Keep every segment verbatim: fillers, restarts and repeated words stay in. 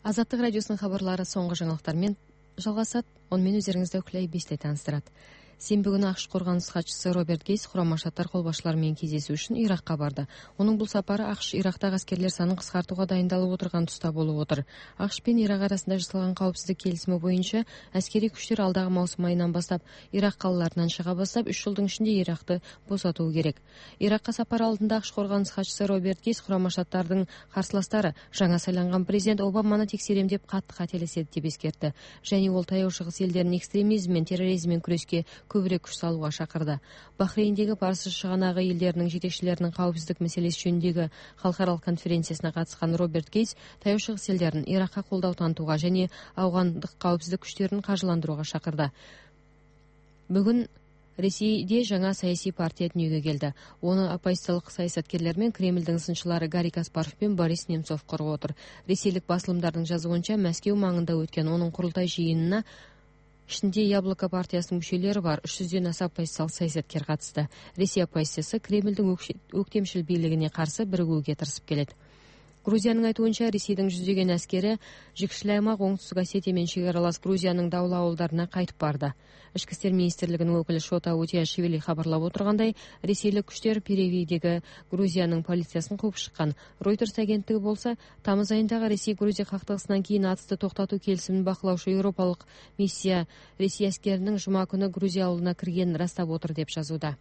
Азаттык радиосунун кабарлары соңку жаңылыктар менен жалгасат. Ону менен өзүңүздү Клей Бисте тааныстырат. Сенби күнү АКШ коргонус катчысы Роберт Гейс Курама Штаттар кол башчылары менен кездешүү үчүн Иракка барды. Унун бул сапары АКШ Ирактагы аскерлер санын кыскартууга дайындалып отурган туста болуп отур. АКШ менен Ирак арасында жасалган коопсуздук келисими боюнча аскерий күчтөр алдагы маусум айынан баштап Ирак калаларынан чыга баштап үч жылдын ичинде Иракты босотуу керек. Иракка сапар алдында АКШ коргонус катчысы Роберт Гейс Курама Штаттардын карсылаштары жаңа сайланган президент Обаманы текшерем деп катты кателесет деп эскертти. Және ол Таяу Чыгыс элдеринин экстремизм менен терроризм менен күрөскө көбүрөөк күч салууга чакырды. Бахрейндеги Парсы шыганагы элдеринин жетекчилеринин коопсуздук маселеси жөнүндөгү халкаралык конференциясына катышкан Роберт Гейс Таяу Чыгыс элдерин Иракка колдоо тантууга және афгандык коопсуздук күчтөрүн каржыландырууга чакырды. Бүгүн Ресейде жаңа саясий партия дүнүйгө келди. Оны оппозициялык саясаткерлер менен Кремлдин сынчылары Гарри Каспаров менен Борис Немцов коргоп отур. Ресейлик басылымдардын жазуунча Мәскеу маңында өткөн онун курултай жыйынына ичинде Яблоко партиясынын мүчөлөрү бар үч жүздөн аса оппозициялык саясаткер катышты. Ресей оппозициясы Кремлдин өктемшил бийлигине каршы биригүүгө тырышып келет. Грузиянын айтуунча, Ресейдин жүздөгөн аскери Жигшил аймак Оңтүстүк Осетия менен чек аралас Грузиянын даулуу абалдарына кайтып барды. Ички иштер министрлигинин өкүлү Шота Утиашвили кабарлап отургандай, ресейлик күчтөр Перевийдеги Грузиянын полициясын кууп чыккан. Reuters агенттиги болсо, тамыз айындагы Ресей-Грузия кактыгысынан кийин атысты токтотуу келисимин бакылаучу Европалык миссия Ресей аскеринин жума күнү Грузия алууна киргенин ырастап отур деп жазууда.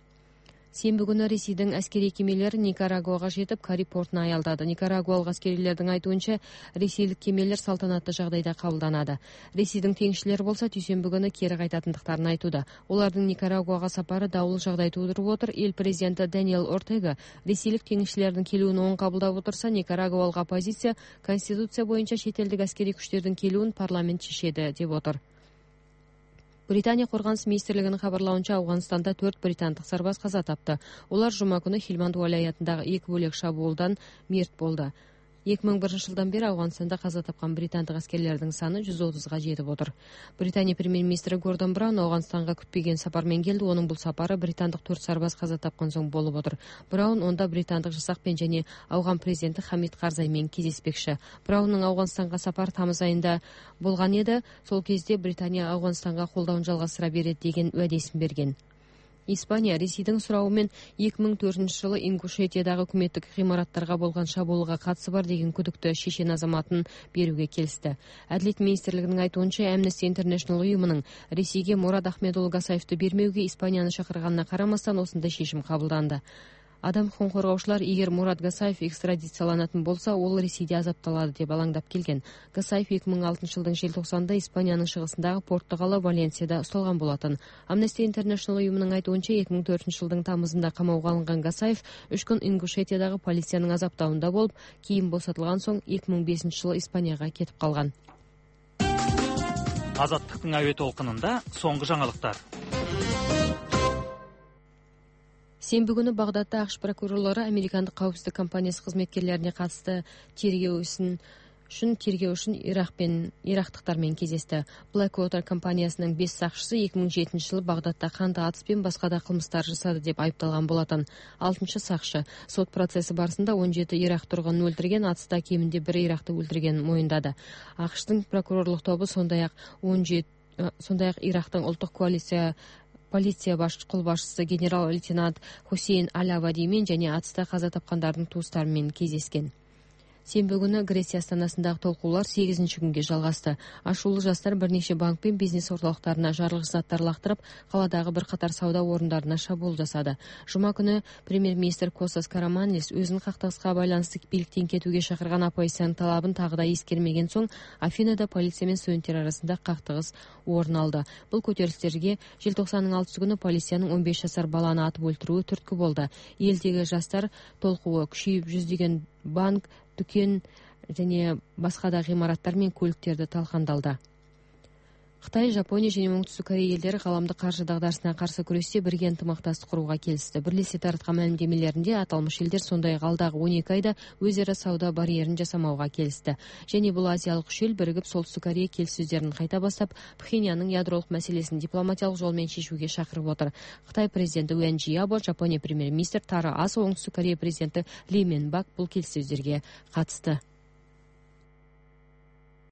Сенби күнү Ресейдин аскерий кемелери Никарагуага жетип, Кариб портуна аялдады. Никарагуалык аскерийлердин айтуунча, ресейлик кемелер салтанаттуу жагдайда кабылданады. Ресейдин теңишчилери болсо дүйшөмбү күнү кери кайтатындыктарын айтууда. Олардын Никарагуага сапары дабыл жагдай туудуруп отур. Эл президенти Даниэл Ортега ресейлик теңишчилердин келүүнү оң кабылдап отурса, Никарагуалык оппозиция конституция боюнча чет элдик аскерий күчтөрдүн келүүн парламент чечеди деп отур. Британия коргонус министрлигинин кабарлауынча, Афганистанда төрт британдык сарбаз каза тапты. Улар жума күнү Хилманд вилаятындагы эки бөлек шабуулдан мерт болду. эки миң биринчи жылдан бери Афганистанда каза тапкан британдык аскерлердин саны жүз отузга жетип отур. Британия премьер-министри Гордон Браун Афганистанга күтпөгөн сапар менен келди. Онун бул сапары британдык төрт сарбаз каза тапкан соң болуп отур. Браун онда британдык жасакпен және Афган президенти Хамид Карзай менен кездеспекчи. Браунун Афганистанга сапары тамыз айында болгон эди. Сол кезде Британия Афганистанга колдоон жалгастыра берет деген уадесин берген. Испания Ресейдин сурабы менен эки миң төртүнчү жылы Ингушетиядагы өкмөттүк имараттарга болгон шабуулга катышы бар деген күдүктө шешен азаматын берүүгө келишти. Адилет министрлигинин айтуунча, Amnesty International уюмунун Ресейге Мурат Ахмедуллу Гасаевди бермеуге Испанияны чакырганына карамастан осундай чечим кабылданды. Адам укугун коргоочулар, эгер Мурат Гасаев экстрадицияланатын болсо, ол Ресейде азапталады деп алаңдап келген. Гасаев эки миң алтынчы жылдын желтоқсанында Испаниянын чыгысындагы портто кала Валенсияда укталган болотун. Amnesty International уюмунун айтуунча, эки миң төртүнчү жылдын тамызында камоого алынган Гасаев үч күн Ингушетиядагы полициянын азаптауында болуп, кийин босотулган соң эки миң бешинчи жылы Испанияга кетип калган. Азаттыктын аөе толкунунда соңку жаңылыктар. Сенби күнү Багдадда АКШ прокурорлору американдык коопсуздук компаниясы кызметкерлерине катысты тергөө ишин үчүн тергөө үчүн Ирак менен ирактыктар менен кездешти. Blackwater компаниясынын беш сакчысы эки миң жетинчи жылы Багдадда кандуу атыс менен башка да кылмыштар жасады деп айыпталган болотун. алтынчы сакчы сот процесси барысында он жети Ирак тургунун өлтүрген, атыста кеминде бир Иракты өлтүргенин моюндады. АКШтын прокурорлук тобу сондай-ак он жети сондай-ак Ирактын улуттук коалиция полиция баш кол башчысы генерал-лейтенант Хусейн Аль-Авади менен және атыста каза тапкандардын туустары менен кездешкен. Сенби күнү Греция астанасындагы толкуулар сегизинчи күнгө жалгасты. Ашуулуу жаштар бир нече банк пен бизнес орталыктарына жарылгыч заттар лактырып, каладагы бир катар сауда орундарына шабуул жасады. Жума күнү премьер-министр Костас Караманлис өзүнүн кактыгыска байланыштуу бийликтен кетүүгө чакырган оппозициянын талабын тагы да эскермеген соң Афинада полиция менен студенттер арасында кактыгыс орун алды. Бул көтөрүлүштөргө желтоқсандын алтысы күнү полициянын он беш жашар баланы атып өлтүрүүгө түрткү болду. Элдеги жаштар толкуусу күчөйүп, жүздөгөн банк, дүкен және башка да гымараттар менен көлүктөрдө талкандалды. Кытай, Жапония және Оңтүстүк Корея элдери кааламдык каржы дагдарысына каршы күрөштө бирге ынтымакташтык курууга келишти. Бирлешип тараткан маалимдемелеринде аталмыш элдер сондай-ак алдагы он эки айда өз ара сауда барьерин жасамауга келишти. Және бул азиялык үч эл биригип Солтүстүк Корея келиссөздөрүн кайта баштап, Пхеньяндын ядролук маселесин дипломатиялык жол менен чечүүгө чакырып отур. Кытай президенти Уэн Жиябо, Жапония премьер-министри Таро Асо, Оңтүстүк Корея президенти Ли Мен Бак бул келиссөздөргө катышты.